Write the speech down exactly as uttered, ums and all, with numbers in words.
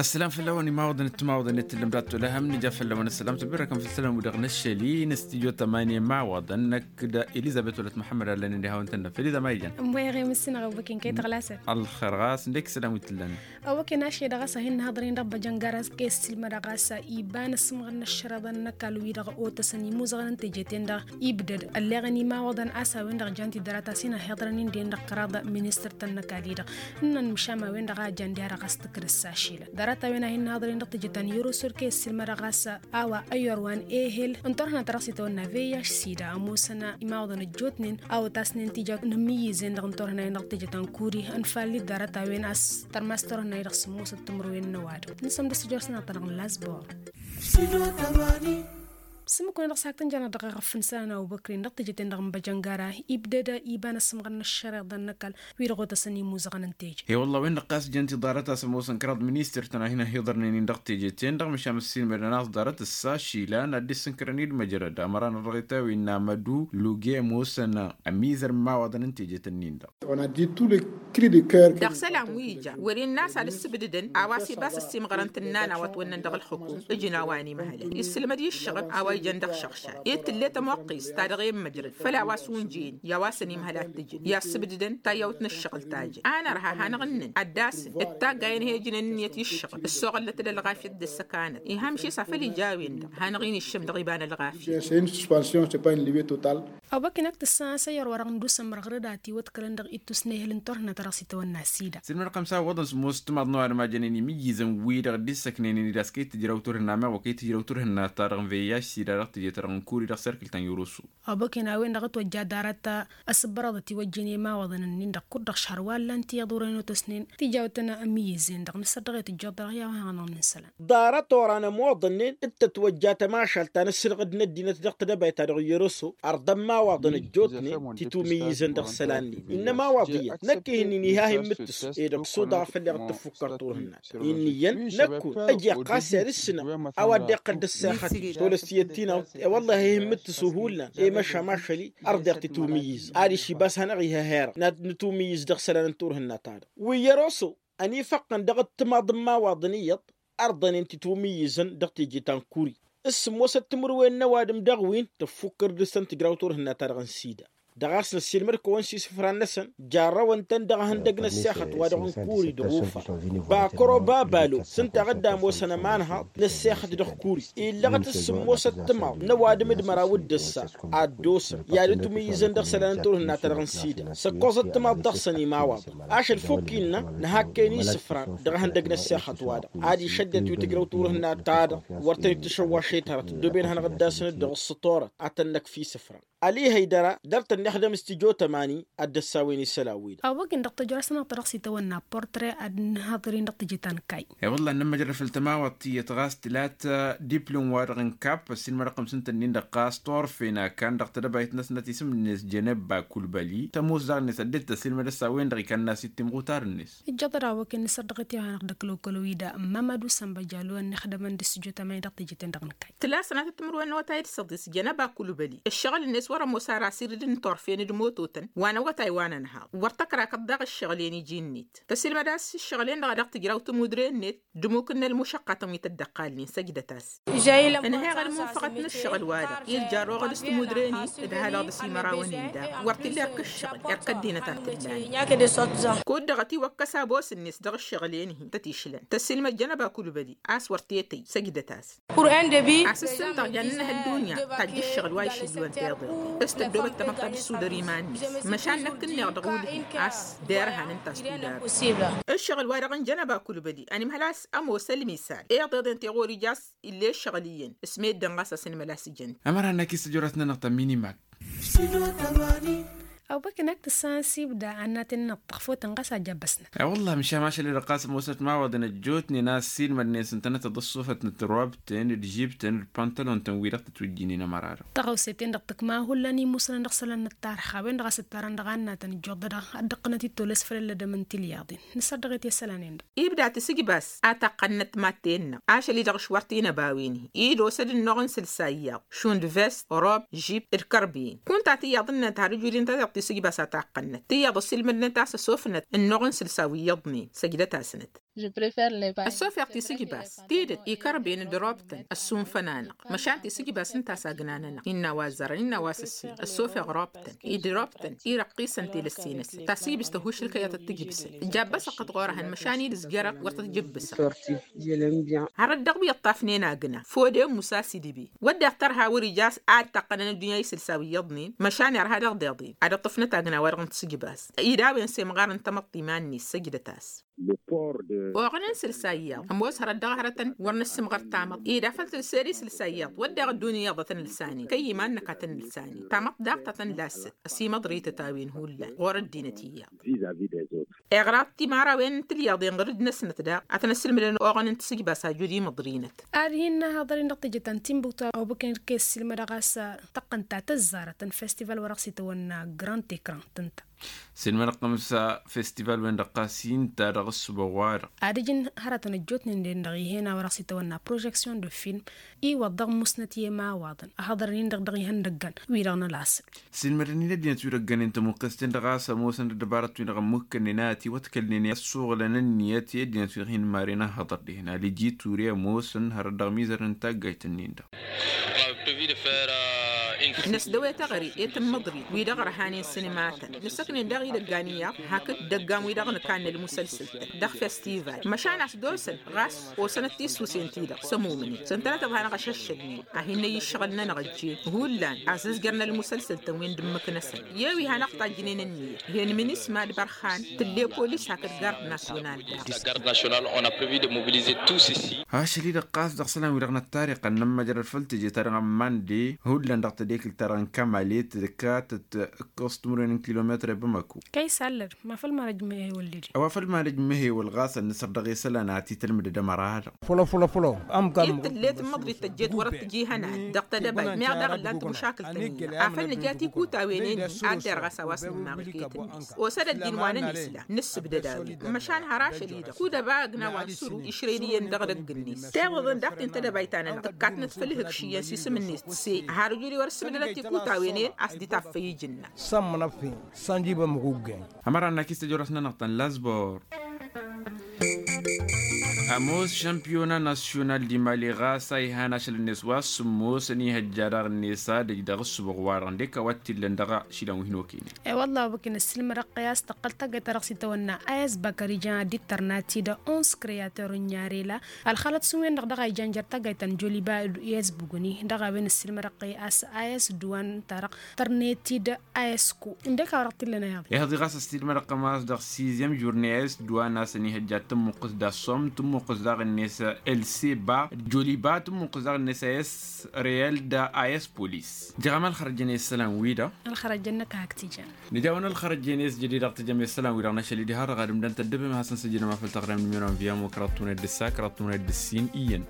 Ăssălam făll-awăn imawăḍăn d-timawăḍăn i-tǝllăm dat-tolăhăm nǝja făll-awăn ăssălam tǝbbărăkăm făll-sălam wi-dăɣ năššăl-i n-studio tămani imawăḍăn năkk d-elizăbet wălăt muḥămmăd allăn indi hawăn-tănnăm făll-izăma ijan. Ămwăyăɣ i-mǝssinăɣ ăwwăken kăy-tăɣlasăn. Ălxer ɣas ǝndek isălan wi t-ǝllan. Ăwwăken ašăl-i-dăɣ a-s ad-hin-nǝhăḍăr-in dăɣ-băjăngara s-kăy-ăssiilmădăɣ a-s iba n-asǝmɣăr n-ăššăreḍăn n-ăkall wi-dăɣ otăsăn imuzăɣăn n-teje-ten-dăɣ. Ibdăd ălleɣăn imawăḍăn a-s a-wen-dăɣ jan-t-i ḍarăt a-s hin-ăhhiḍărăn-in-dăɣ kăraḍ ministăr-tăn n-ăkall-i-dăɣ. Ǝnnăn măšan ma-wen-dăɣ a jan diha-dăɣ a-s tǝkrǝs ašilăn ḍarăt a-wen a hin-nǝhhiḍăr-in dăɣ-teje ta n-yărusul kăy-ăssiilmădăɣ a-s a-wa ăyyor wa n-ehel n-turhǝnat ta dăɣ-s itawănna vih s-ida ămoosăn imawăḍăn ăjjootnen a otasnen tija n-imǝyyǝzen-dăɣ n-turhǝnay-en dăɣ-teje ta n-kuri. Ănfalli ḍarăt a-wen a-s tărmas turhǝnay-dăɣ sǝmmosăt timǝrwen n-ăwadǝm. Nǝsǝm d-ăssijor s-inăɣ-tăn-dăɣ n-lasbor. Sǝmmǝk-wen-dăɣ s-hak tăn-janăɣ dăɣ-iɣăf n-isălan a obăkri n-dăɣ teje-ten-dăɣ n-băjăngara ibdăd iba n-asǝmɣăr n-ăššăreḍăn n-ăkall wi-dăɣ otăsăn imuzăɣăn n-teje. He wălla-wen-dăɣ ɣas jăn-t-i ḍarăt a-s ămoosăn kăraḍ ministăr-tăn a hin-ăhhiḍărnen-in dăɣ-teje-ten-dăɣ măšan ăssiilmădăn a-s ḍarăt ǝssa išilan ad-dd-issǝnkărăn-dd măjrăd ămăra n-ărrăɣet a-wen n-amădu luge ămoosăn ămizăr n-imawaḍăn n-teje-tăn-in-dăɣ. Dăɣ-isălan wi ija wăr-innă a-s ad-ǝssǝbdǝdăn a-wa s-ibas ăssiimɣărăn tǝnna n-a-wa ătwănnăn dăɣ-ălxǝkum. Ǝjǝn a-wa ănimhălăn issǝlmăd i-ǝššăɣǝb a-wa ijăn dăɣ-išăɣšad ed tǝlle tămoqqist ta dăɣ-e n-măjrăd făll-a-wa s-unjăyăn i-a-wa s-ănimhăl ad-t-ǝjǝn i-assǝbdǝdăn tayyawt n-ǝššăɣǝl ta jăn. A nărha hanăɣ-ǝnnăn ad-dd-asǝn d-taggayăn he-ǝjǝnen ǝnniyăt i-ǝššăɣǝl ǝssoɣălnăt d-ălɣafyăt d-ăssăkanăt. Iham šis a făl ija a-wen-dăɣ hanăɣ-in-iššăm dăɣ-iba n-ălɣafyăt. Ăwwăken ad-t-ǝssan a-s ăyyăr wa dăɣ-nǝdusăm mărɣăr d-atiwăḍkălăn dăɣ-ittus n-ehǝl n-turhǝnna ta dăɣ-s itawănna sida. Sǝlmăd-kămsa ǝwwăḍăn s-ămoos timaḍ n-ăwadǝm a jănen imǝyyǝzăn wi-dăɣ dd-issăknăynen-dd a-s kăy-tǝjraw turhǝnna meɣ wa kăy-tǝjraw turhǝnna ta dăɣ-n veyyaž sida dăɣ-teje-ta-dăɣ n-kuri dăɣ-serkǝl ta n-yoroso. Ăwwăken a-wen-dăɣ ătwăjja ḍarăt asǝbbărăḍăt iwăjjen i-imawaḍăn-nin-dăɣ kud-dăɣ šăhr wa ǝllan-t iyyăḍ urăyăn otăsnen tijawt n-imǝyyǝzen-dăɣ nǝsăddăɣ-e tǝjjuḍ dăɣ-i a-wa hanăɣ-nǝnsălan. Ḍarăt oran ămoḍănnen d-tătwăjja tămašalt ta n-ǝssǝlɣǝd n-ăddinăt dăɣ-tedăbayt ta dăɣ-iyyăr-oso. Ărḍăn imawaḍăn ăjjootnen titwǝmǝyyǝzăn dăɣ-isălan-nin innă imawaḍ iyyăt năkk ihǝnnin iha hin-imǝttǝs ed ăksuḍăɣ făll-i ɣǝttǝffukkăr turhǝnna. Innă iyyăn năkkun ăj iqqas i-ad-ǝssǝnăm a-wa dd-iqqăl d-ăssexăt tolăs tiyyăt ti n-awt i-wăllah ih'-imǝttǝsu hullan i-măšan ašăl-i. Ărḍeɣ titwǝmǝyyǝz adiš ibas hanăɣ-ih' ehăyăr nǝtwǝmǝyyǝz dăɣ-isălan n-turhǝnna-ta-dăɣ wi iyyăr oso. Ănifăqqăn dăɣ-ǝttǝmaḍ n-imawaḍăn iyyăḍ ărḍănen titwǝmǝyyǝzăn dăɣ-teje ta n-kuri. S-sǝmmosăt timǝrwen n-ăwadǝm dăɣ-win tăffukkăr dăɣ-săn tǝjraw turhǝnna-ta-dăɣ n-sida. Dăɣ-a-s năssiilmăd-kăwăn s-isǝfran năsăn jarrăwăn-tăn dăɣ-ihăndăg n-ăssexăt wa dăɣ-n kuri d-ɣufa. Bakăro babalo s-ǝnta a dd-ămoosăn ămanhăḍ n-ăssexăt dăɣ-kuri illăɣăt s-sǝmmosăt timaḍ n-ăwadǝm d-măraw d-ǝssa ad-dd-osăn i-ad-ǝtwǝmǝyyǝzăn dăɣ-isălan n-turhǝnna-ta-dăɣ n-sida. S-ǝkkoẓăt timaḍ dăɣ-săn imawaḍăn ašăl fukk innă nǝhak-en isǝfran dăɣ-ihăndăg n-ăssexăt-wa-dăɣ ad-išăddăt wi tǝjrăw turhǝnna-ta-dăɣ. Wăr tăn-dd-tǝšăwwaš i-tărăt ǝddooben hanăɣ-dd-asǝn-dd dăɣ-ǝssǝtorăt ad-tăn-năkf isǝfran. Ălihăy dăr-a dăr-tăn-nixdăm s-tijo tămani ad-dd-ăssawăn isălan-wi-dăɣ. Ăwwăgg-in dăɣ-tăjrăsnăɣ ta dăɣ-s itawănna portre ad-nǝhhăḍăr-in dăɣ-teje ta n-kayy. I-wălla ănnămmăjrăd făll-tămawăḍt tiyyăt ɣas tǝlat diplom-wa-dăɣ n-kap ăssiilmădăɣ-tăm s-ǝnta-nin-dăɣ ɣas torfen akan dăɣ-tedăbayt-năsnăt isǝm-net jănebba kulbăli tămoos daɣ-net ăddinăt tăssiilmăd-s a-wen-dăɣ ikanna s-ittimɣutar-net. Ijjăḍăd a-wa kăy-nǝsărdăɣ i-tiha-năɣ dăklokolowida n-mamadu sănbăjalo ănnixdămăn d-s tijo tămani dăɣ-teje-ten-dăɣ n-kayy. Tǝla sănatăt timǝrwen n-awătay d-săḍis jănăba kulbăli ǝššăɣǝl-net wăr-ămoos ara asirdǝd n-torfen d-mototăn wa n-awătay wa n-ănhăḍ. Wăr tăkrakăḍ daɣ ǝššăɣǝl-en iji-net tăsilmăd a-s ǝššăɣǝl-en-dăɣ a dăɣ-tǝjraw tămudre-net d-imukǝnnăn mušăqqatăn wi tăddăqqalnen săjdăt-as. Ǝnhăyăɣ ălmunfăɣăt n-ǝššăɣǝl wa dăɣ-irja ărroɣăd s-timudre-ni d-halăɣ dăɣ-s imărawăn-in daɣ wăr t-illa erk ǝššăɣǝl erk ăddinăt ad-t-ǝllalăn. Kud-dăɣ ătiwăkkăs abos-net dăɣ-ǝššăɣǝl-en-hi tăt-išlăn tăsilmăd jănăba kulbăli a-s wăr t-etăy săjdăt-as. Asǝssǝntăɣ jan n-ăhăl dunya tajj ǝššăɣǝl wa išǝlliwăn tiḍeḍen s-tăddoobăt tamăḍt ad-dd-sudăr iman-net. Măšan năkk ǝnneɣ dăɣ-wulhi a-s derhan ǝnta a-s tudar. Ǝššăɣǝl-wa-dăɣ n-jănăba kulbăli ănimhăl a-s ămoos ălmisal iḍeḍen ti ɣur-ija a-s ill'-e ǝššăɣǝl iyyăn s-meddǝn ɣas a-s ǝnmăl a-s ǝjăn. Ămăra-năk i-săjorat-nănăɣ ta n-minimak. Ăwbăkăn ak tǝssan s-ibda annaten n-ăṭṭăɣfotăn ɣas a jabbăsnăt. E-wălla măšan ašăl-i-dăɣ ɣas ămoosnăt imawaḍăn ăjjootnen a ăssiilmădnen s-ǝntănăt d-ăṣṣufăt n-tirwabten d-žibtăn d-pantalon-tăn wi-dăɣ tătwǝjjǝynen ămăra-dăɣ. Tăɣawse-ten-dăɣ tǝkma hullan imusnăn dăɣ-isălan n-ăttarǝx a-wen-dăɣ a-s ǝttarăn dăɣ-annatăn ǝjjuḍădăɣ ad-dd-ǝqqǝnăt i-tolăs făll-ăllădăm n-tilyaḍen. Nǝsărdăɣ-et i-isălan-en-dăɣ. Ibda tisǝjbas a taqqănnăt madten-năɣ ašăl-i-dăɣ š-wăr t-inăba a-wen-hi. Id-osăd ǝnnuɣ n-sǝlsa iyyăḍ šund vest rob žip d-kărbiyen kunta tiyyăḍ-net har ǝjudin ta dăɣ-t. Sǝjbas a taqqănnăt tiyyăḍ ăsilmădnăt a-s ăsofnăt ănnuɣ n-sǝlsa wi iyyăḍnen. Săjdăt-asnăt. Ăsofeɣ tisǝjbas tidǝt ikărben d-robtăn ăssunfăn-anăɣ. Măšan tisǝjbas ǝnta a-s agnanănăɣ innă a-wa ăzzărăn innă a-wa s-ǝssin ăsofeɣ robtăn id-robtăn irăqqisăn telăsse-năsăn tasǝjbǝst ăhušǝl kăy-ad-tăt-tǝjbǝsăn. Jabbăsăɣ-tăt ɣur-ehăn măšan-i d-ǝzjărăɣ wăr tăt-jǝbbǝsăɣ. Hărăt dăɣ-wi ǝṭṭafnen agna fode musa s-idǝbi wădden tărha wăr-ija a-s ad-taqqănăn ăddunya isǝlsa wi iyyăḍnen măšan irha dăɣ-deḍen ad-ǝṭṭǝfnăt agna-wa-dăɣ n-tisǝjbas. Id a-wen semɣarăn tamăḍt iman-net săjdăt-as. Oɣăn n-isǝlsa iyyăḍ ămoos hărăt dăɣ-hărătăn wăr năssǝmɣăr tamăḍt id afăl tǝlsed isǝlsa iyyăḍ wădden ăddunya iyyăḍ a tăn-ǝlsanen kăy-iman-năk a tăn-ǝlsanen tamăḍt daɣ ta tăn-lassăt. Ăsimăḍrităt a-wen hullan ɣur-ăddinăt iyyăḍ. Iɣraḍ timărawen n-tilyaḍen ɣǝr-dd-năsnăt daɣ ad-tăn-ăssǝlmǝdăn oɣăn n-tisǝjbas a jud imǝḍrinăt. Ad-hin-năhăḍăr-in dăɣ-tijăt ta n-timbuktu a obăkăn irkes s-ilmădăɣ a-s tăqqăn ta tăzzarăt n-festival wăr-dăɣ s-itawănna grand ecran tǝnta. S-ilmădăɣ tămsa festival-wen-dăɣ ɣas inta dăɣ-ǝssǝbăɣ-wa-dăɣ. Ad-ǝjǝn hărătăn ăjjootnen-den-dăɣ ih'-en a wăr-dăɣ s-itawănna projection de film iwăḍ dăɣ-musnăt i-emawaḍăn ăhăḍărăn-in-dăɣ dăɣ-ihăndăggan. Wi-dăɣ n-ălasǝl. S-ilmădăn-in ăddinăt wi dăgg-ănen tămuqqes-ten-dăɣ a-s ămoosăn d-ăddăbarăt-wi-dăɣ ămmuhkănnen a ătiwăḍkălnen i-ad-suɣǝlăn ǝnniyăt i-ăddinăt wi dăɣ-hin-maren ăhhăḍăr dihen aliji ture ămoosăn hărăt dăɣ-mizărăn taggayt-nin-dăɣ. Năsdăwet aɣăre i-tǝmmǝḍrit wi-dăɣ ărhanen sǝnǝmatăn nǝssăknen daɣ idăggan iyyăḍ hakd dăggan wi-dăɣ nǝkanna ălmusălsăl-tăn dăɣ-festival măšan a-s d-osăn ɣas osănăt tisusen-ti-dăɣ s-ămumnen s-ǝntănăt ăbhanăɣ ašăššădnen a hin-năyy ǝššăɣǝl-nănăɣ ăjjeen hullan a-s ǝzjărnăl ălmusălsăl-tăn wi n-dd-ǝmmǝk-năsăn. I-wi hanăɣ-tajjǝnen ǝnniyăt ih'-en minisma d-ibarxan tǝlle polis hakd gard nasyonal daɣ. Ašăl-i-dăɣ ɣas dăɣ-isălan-wi-dăɣ n-ăttarix ănnămmăjrăd făll-teje-ta-dăɣ n-mande hullan dăɣ-tedekǝlt-ta-dăɣ n-kămale tǝdkatăt ǝkkăẓ timǝrwen n-kilometre bamako. Kăy-sallăd ma făl manăj măhewăl dede. A-wa făl manăj măhewăl ɣas ănnăsăr dăɣ-isălan ad-t-tǝlmǝdăd ămăra-dăɣ. Fălăfălăfălăw. Ămkan. Ed tǝllet n-imǝḍrit tăjjet wăr-ăttǝj ihănan dăɣ-tedăbayt meɣ daɣ ǝllan tămušakǝlt-tăn-in-dăɣ afăl nǝja tikutawen-en-hi ad-derɣ a-s a-wa s-nǝmmaɣ iket-net. Osăd ăddin wa nǝnisla nǝssǝbdăd a-wen măšan har ašăl-i-dăɣ kud-ăba ăgna wa n-sǝru išrăyăn iyyăn dăɣ-edăgg-net. Tiwǝḍăn daɣ ti n-tedăbayt-ta-nănăɣ tǝkkatnăt făll-ihǝkši iyyăn s-isǝm-net tǝsse. Har ǝjud-i wăr-ǝssǝmdădăt tikutawen-en a-s dd-taffăy ija ǝnna. Sămmănăf-in sănjibăm ɣuggen. Ămăra n-akis tejorăs-nănăɣ ta n-lazbor. Ămoos šămpiyona nasyonal d-imali ɣas a ihan ašăl-net wa s-sǝmmosăn ihăjja daɣ-net ad-ăj dăɣ-ǝssǝbăɣ-wa-dăɣ ǝndek a-wa t-illăn dăɣ-ašilăn wi hin-okăynen. I-wălla a obăken ǝssilmădăɣ-t i-a-s tăqqăl taggayt-ta-dăɣ s-itawănna a s-bakăr ijan ad-dd-tărnat-dd uns kreyator n-inyarela ălxalăt s-wen-dăɣ dăɣ-a ijan jer-taggayt ta n-joliba i-s bugǝni dăɣ-a-wen ǝssilmădăɣ-t i-a-s a s-dd-wa n-ta-dăɣ tărnet-dd. A s-ku ǝndek a wăr-t-illăn a iɣăḍ. Iɣăḍ i ɣas ăssilmădăɣ-t ămass dăɣ-sizyăm jurne a s-dd-wa n-asăn ihăjja tǝmmuqqǝs d-assum tǝmmuqqǝs daɣ-net lcba joliba tǝmmuqqǝs daɣ-net a s-reyal d-a s-polis. Jăɣăm ălxărăjăn i-isălan-wi-dăɣ. Ălxărăjăn-năk hak t-ijan. Nǝja-wăn ălxărăjăn i-s jădid dăɣ-tijăm i-isălan-wi-dăɣ n-ašăl-i diha-dăɣ ad-ǝmdăn tăddăbem ad-hasăn-săjdăm a făl taɣrem n-imăron via mo kăraḍ tunăt d-ǝssa kăraḍ tunăt d-ǝssin iyyăn.